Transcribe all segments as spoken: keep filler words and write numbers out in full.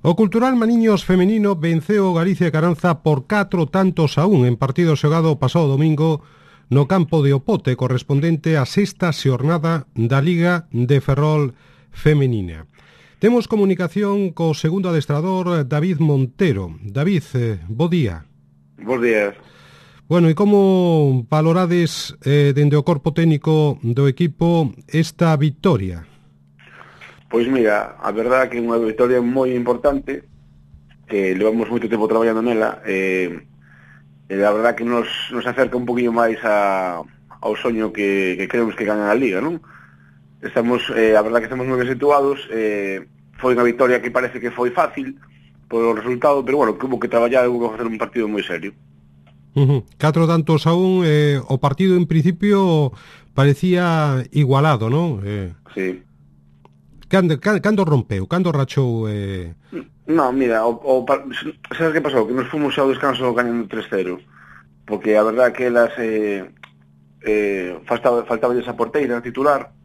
O Cultural Maniños femenino venceu o Galicia e Caranza por catro tantos a un en partido xogado o pasado domingo no campo de Opote, correspondente á sexta xornada da Liga de Ferrol femenina. Temos comunicación co segundo adestrador David Montero. David, eh, bo día. Bos días. Bueno, e como valorades eh, dende o corpo técnico do equipo esta victoria? Pois mira, a verdade que é unha victoria moi importante, que levamos moito tempo traballando nela, e, e a verdade que nos, nos acerca un poquinho máis a, ao soño que, que queremos que ganen a Liga, non? Estamos, eh, a verdade que estamos moi ben situados, eh, foi unha victoria que parece que foi fácil polo resultado, pero bueno, que hubo que traballar, hubo que facer un partido moi serio. Uh-huh. Catro tantos a un, eh, o partido en principio parecía igualado, non? Eh... Sí. Cando, cando rompeu? Cando rachou? Eh... No, mira, o, o, sabes que pasou? Que nos fomos ao descanso gañando tres cero, porque a verdade que elas eh, eh, faltaba, faltaba esa porteira titular,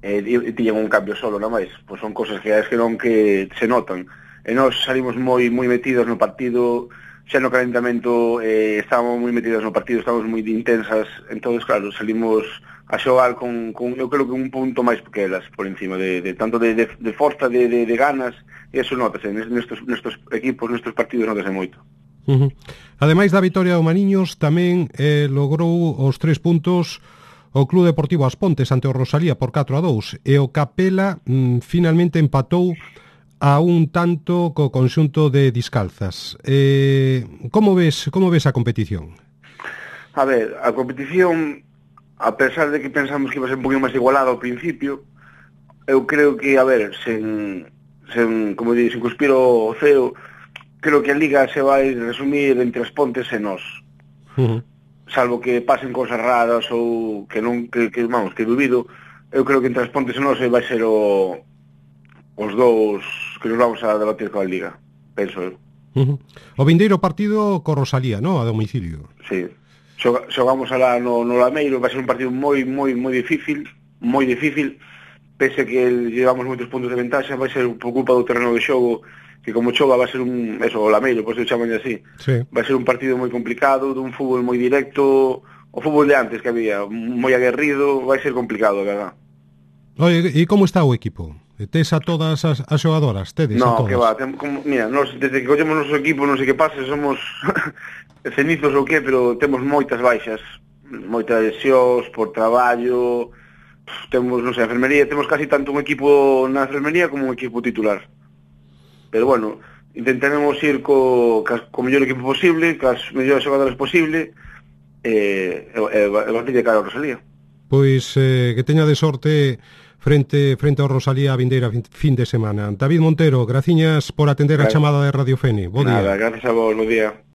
e, e tiñan un cambio solo, na máis. Pois son cosas que es que non que se notan. E nós salimos moi moi metidos no partido, xa no calentamento eh, estábamos moi metidos no partido, estábamos moi intensas, entonces claro, salimos a xogar con, con eu creo que un punto máis que elas por encima de, de tanto de, de, de forza, de, de, de ganas, e eso notase nestes, nestes equipos, nestes partidos notase moito. Uh-huh. Ademais da vitoria do Maniños, tamén eh, logrou os tres puntos o Club Deportivo As Pontes ante o Rosalía por catro a dous, e o Capela mm, finalmente empatou a un tanto co conxunto de Discalzas. Eh, como ves como ves a competición? A ver, a competición, a pesar de que pensamos que iba a ser un poquinho máis igualada ao principio, eu creo que, a ver, sen, sen como digo, sen cuspir o ceo, creo que a Liga se vai resumir entre As Pontes e nós. Uh-huh. Salvo que pasen cosas raras ou que non, que, que vamos, que dubido, eu creo que entre As Pontes e nós vai ser o, os dous que nos vamos a debatir coa Liga, penso eu. Uh-huh. O vindeiro partido co Rosalía, no? A domicilio. Sí. Xogamos alá no, no Lameiro, vai ser un partido moi, moi, moi difícil, moi difícil, pese que llevamos moitos puntos de ventaxa, vai ser por culpa do terreno de xogo, que como chova vai ser un, eso, o Lameiro, por eso chaman así, sí. Vai ser un partido moi complicado, dun fútbol moi directo, o fútbol de antes que había, moi aguerrido, vai ser complicado, verdad. Oye, e como está o equipo? Tes a todas as, as xogadoras? Tedes no, a todas? Que va, tem, como, mira, nos, desde que collemos o noso equipo, non sei que pase, somos cenizos ou que, pero temos moitas baixas, moitas lesións por traballo, temos, non sei, a enfermería, temos casi tanto un equipo na enfermería como un equipo titular. Pero bueno, intentaremos ir co, co mellor equipo posible, cas mellores xogadores posible, e, e, e, e batir de cara a Rosalía. Pois eh, que teña de sorte frente frente ao Rosalía a vindeira fin de semana. David Montero, graciñas por atender a chamada de Radio Fene. Bo día. Nada, gracias a vos, bo día.